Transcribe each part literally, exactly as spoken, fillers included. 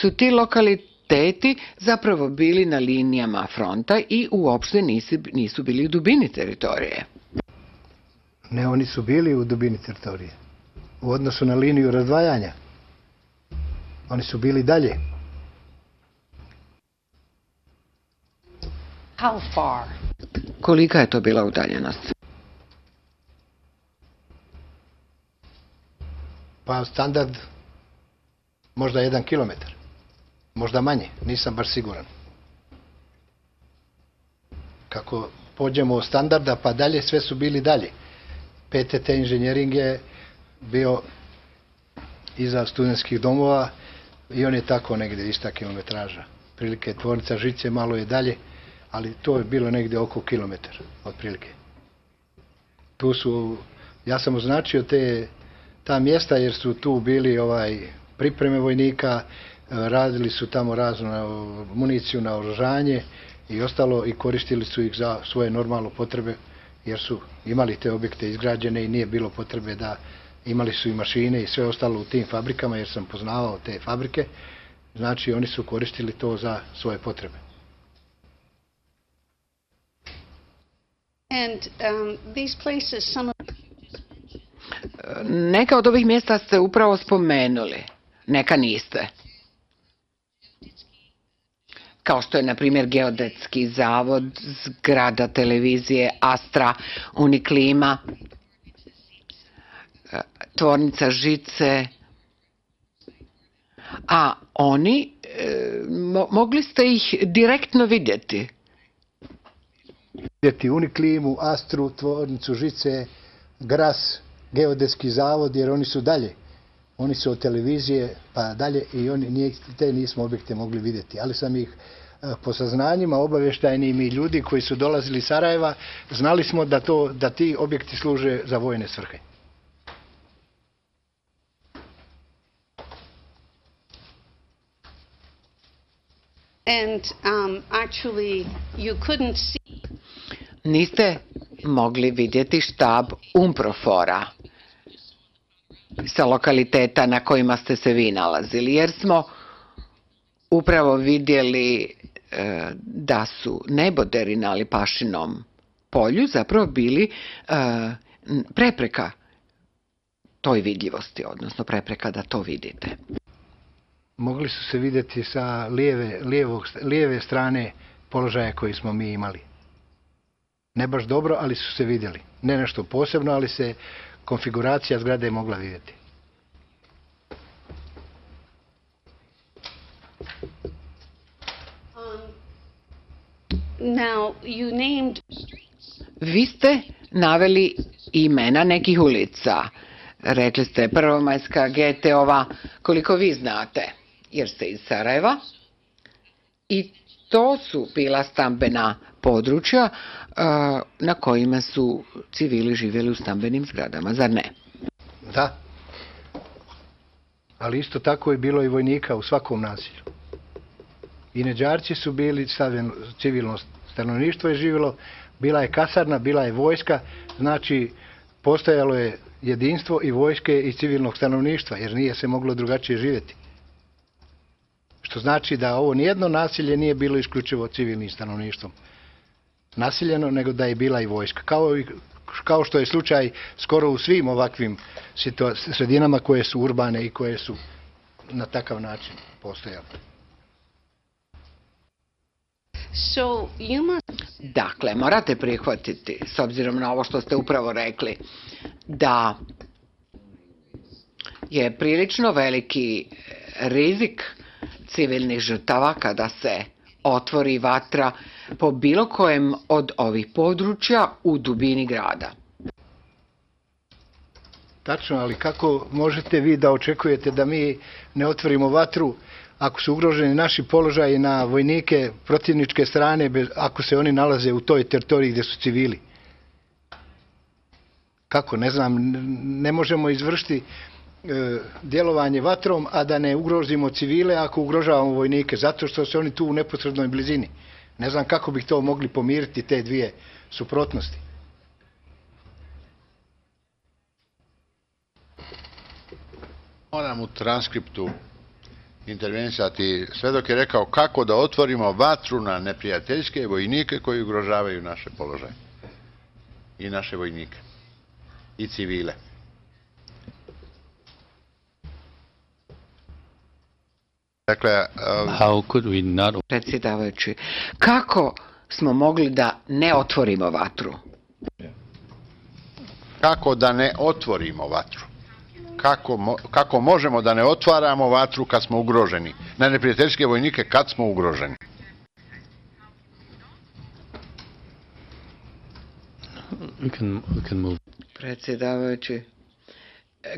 su ti lokaliteti zapravo bili na linijama fronta i uopšte nisu, nisu bili u dubini teritorije. Ne, oni su bili u dubini teritorije. U odnosu na liniju razdvajanja. Oni su bili dalje. How far? Kolika je to bila udaljenost? Pa standard možda jedan kilometar. Možda manje, nisam baš siguran. Kako pođemo od standarda pa dalje, sve su bili dalje. P T T inženjering je bio iza studentskih domova i on je tako negdje ista kilometraža. Prilike tvornica žice malo je dalje, ali to je bilo negdje oko kilometar, otprilike. Tu su, ja sam označio te, ta mjesta jer su tu bili ovaj, pripreme vojnika, radili su tamo raznu municiju, naoružanje i ostalo i koristili su ih za svoje normalne potrebe jer su imali te objekte izgrađene i nije bilo potrebe da imali su i mašine i sve ostalo u tim fabrikama jer sam poznavao te fabrike, znači oni su koristili to za svoje potrebe. And um, these places, some of... Neka od ovih mjesta ste upravo spomenuli, neka niste. Kao što je, na primjer, Geodetski zavod, zgrada televizije Astra, Uniklima, tvornica žice. A oni, mo mogli ste ih direktno vidjeti? Vidjeti Uniklimu, Astru, tvornicu žice, Gras, Geodetski zavod, jer oni su dalje. Oni su od televizije pa dalje i oni, te nismo objekte mogli vidjeti. Ali sam ih po saznanjima obavještajnim i ljudi koji su dolazili iz Sarajeva, znali smo da, to, da ti objekti služe za vojne svrhe. And um, actually you couldn't see... Niste mogli vidjeti štab Umprofora sa lokaliteta na kojima ste se vi nalazili, jer smo upravo vidjeli e, da su neboderi na Lipašinom polju zapravo bili e, prepreka toj vidljivosti, odnosno prepreka da to vidite. Mogli su se vidjeti sa lijeve, lijevog, lijeve strane položaja koji smo mi imali. Ne baš dobro, ali su se vidjeli. Ne nešto posebno, ali se konfiguracija zgrade je mogla vidjeti. Um, now you named... Vi ste naveli imena nekih ulica. Rekli ste Prvomajska, Geteova, koliko vi znate, jer ste iz Sarajeva. I to su bila stambena područja na kojima su civili živjeli u stambenim zgradama, zar ne? Da. Ali isto tako je bilo i vojnika u svakom naselju. I Neđarci su bili, civilno stanovništvo je živjelo, bila je kasarna, bila je vojska, znači postojalo je jedinstvo i vojske i civilnog stanovništva, jer nije se moglo drugačije živjeti. Što znači da ovo nijedno nasilje nije bilo isključivo civilnim stanovništvom nasiljeno, nego da je bila i vojska. Kao, i, kao što je slučaj skoro u svim ovakvim sredinama koje su urbane i koje su na takav način postojale. So you must... Dakle, morate prihvatiti, s obzirom na ovo što ste upravo rekli, da je prilično veliki rizik civilnih žrtava kada se otvori vatra po bilo kojem od ovih područja u dubini grada. Tačno, ali kako možete vi da očekujete da mi ne otvorimo vatru ako su ugroženi naši položaji na vojnike protivničke strane, ako se oni nalaze u toj teritoriji gdje su civili? Kako, ne znam, ne možemo izvršiti e, djelovanje vatrom, a da ne ugrozimo civile ako ugrožavamo vojnike, zato što su oni tu u neposrednoj blizini. Ne znam kako bih to mogli pomiriti, te dvije suprotnosti. Moram u transkriptu intervenisati sve dok je rekao kako da otvorimo vatru na neprijateljske vojnike koji ugrožavaju naše položaje. I naše vojnike. I civile. Dakle, How could we not... Predsjedavajući, kako smo mogli da ne otvorimo vatru? kako da ne otvorimo vatru? Kako, mo, kako možemo da ne otvaramo vatru kad smo ugroženi? Na neprijateljske vojnike kad smo ugroženi? We can, we can move. Predsjedavajući,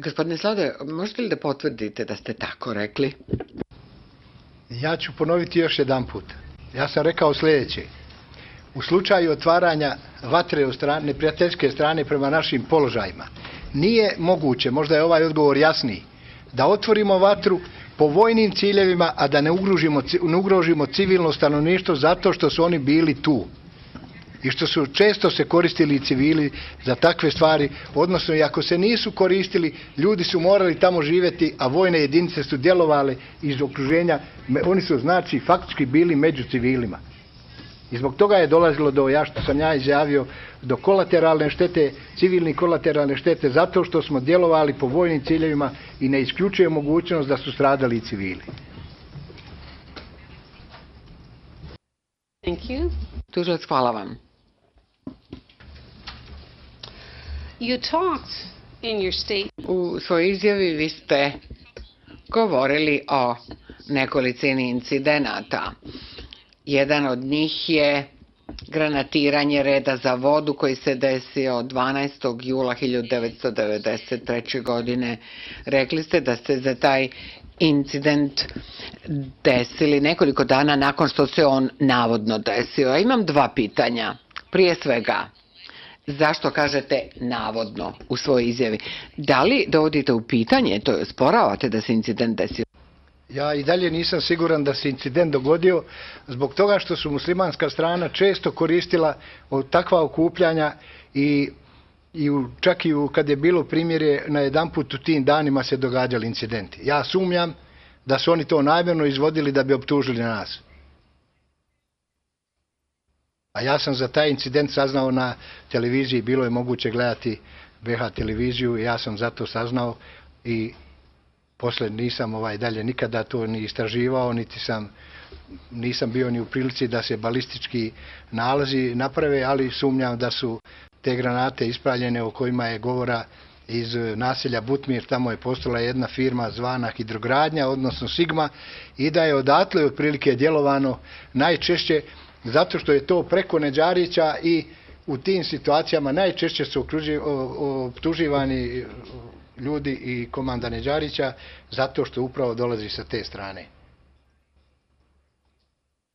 gospodine Slade, možete li da potvrdite da ste tako rekli? Ja ću ponoviti još jedan put. Ja sam rekao sljedeće. U slučaju otvaranja vatre od strane, neprijateljske strane prema našim položajima, nije moguće, možda je ovaj odgovor jasniji, da otvorimo vatru po vojnim ciljevima, a da ne ugrožimo, ne ugrožimo civilno stanovništvo zato što su oni bili tu. I što su često se koristili civili za takve stvari, odnosno i ako se nisu koristili, ljudi su morali tamo živjeti, a vojne jedinice su djelovale iz okruženja, oni su znači faktički bili među civilima. I zbog toga je dolazilo do, ja što sam ja izjavio, do kolateralne štete, civilne kolateralne štete, zato što smo djelovali po vojnim ciljevima i ne isključuje mogućnost da su stradali i civili. Thank you. Tužilac, hvala vam. You talked in your state. U svojoj izjavi vi ste govorili o nekolicini incidenata. Jedan od njih je granatiranje reda za vodu koji se desio dvanaestog jula hiljadu devetsto devedeset treće. godine. Rekli ste da ste za taj incident desili nekoliko dana nakon što se on navodno desio. Ja imam dva pitanja. Prije svega, zašto kažete navodno u svojoj izjavi? Da li dovodite u pitanje, to je osporavate da se incident desio? Ja i dalje nisam siguran da se incident dogodio zbog toga što su muslimanska strana često koristila takva okupljanja i, i u, čak i u, kad je bilo primjere na jedan put u tim danima se događali incidenti. Ja sumnjam da su oni to namjerno izvodili da bi optužili nas. A ja sam za taj incident saznao na televiziji, bilo je moguće gledati B H televiziju i ja sam zato saznao i posle nisam ovaj dalje nikada to ni istraživao, niti sam, nisam bio ni u prilici da se balistički nalazi naprave, ali sumnjam da su te granate ispaljene o kojima je govora iz naselja Butmir, tamo je postojala jedna firma zvana Hidrogradnja, odnosno Sigma, i da je odatle otprilike djelovano najčešće zato što je to preko Neđarića i u tim situacijama najčešće su optuživani ljudi i komanda Neđarića zato što upravo dolazi sa te strane.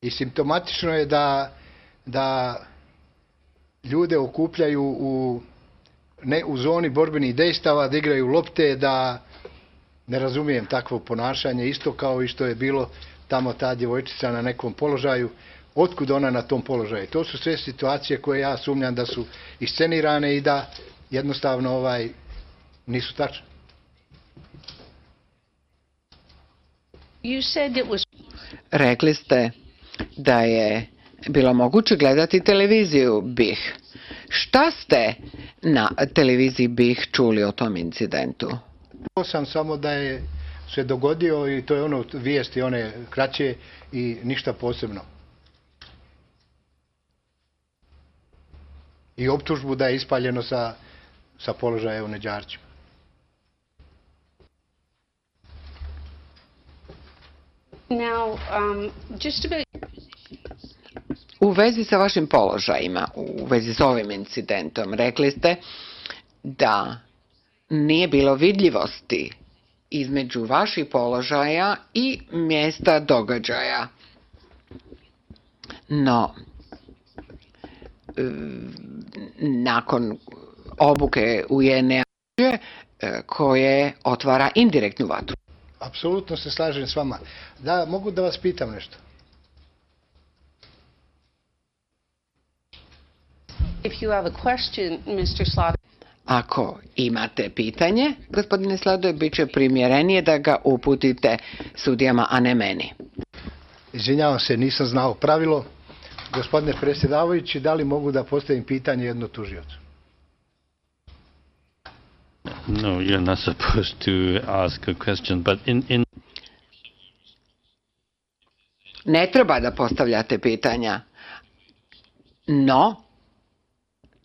I simptomatično je da, da ljude okupljaju u, ne, u zoni borbenih dejstava, da igraju lopte, da ne razumijem takvo ponašanje, isto kao i što je bilo tamo ta djevojčica na nekom položaju. Otkud ona na tom položaju? To su sve situacije koje ja sumnjam da su iscenirane i da jednostavno ovaj nisu tačne. You said it was... Rekli ste da je bilo moguće gledati televiziju B I H. Šta ste na televiziji B I H čuli o tom incidentu? To sam samo da je se dogodio i to je ono vijesti, one kraće i ništa posebno. I optužbu da je ispaljeno sa, sa položaja u Neđarćima. Now, um, just about... U vezi sa vašim položajima, u vezi s ovim incidentom, rekli ste da nije bilo vidljivosti između vaših položaja i mjesta događaja. No, nakon obuke U N A koje otvara indirektnu vatru. Apsolutno se slažem s vama. Da, mogu da vas pitam nešto? If you have a question, mister Slaughter. Ako imate pitanje, gospodine Sladoj, bit će primjerenije da ga uputite sudijama, a ne meni. Izvinjavam se, nisam znao pravilo. Gospodine predsjedavajući, da li mogu da postavim pitanje jedno tužiocu? No, you're not supposed to ask a question, but in, in Ne treba da postavljate pitanja, no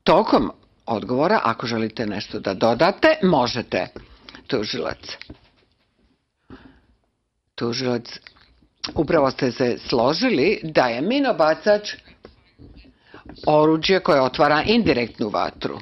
tokom odgovora, ako želite nešto da dodate, možete. Tužilac. Tužilac, upravo ste se složili da je minobacač oruđe koje otvara indirektnu vatru.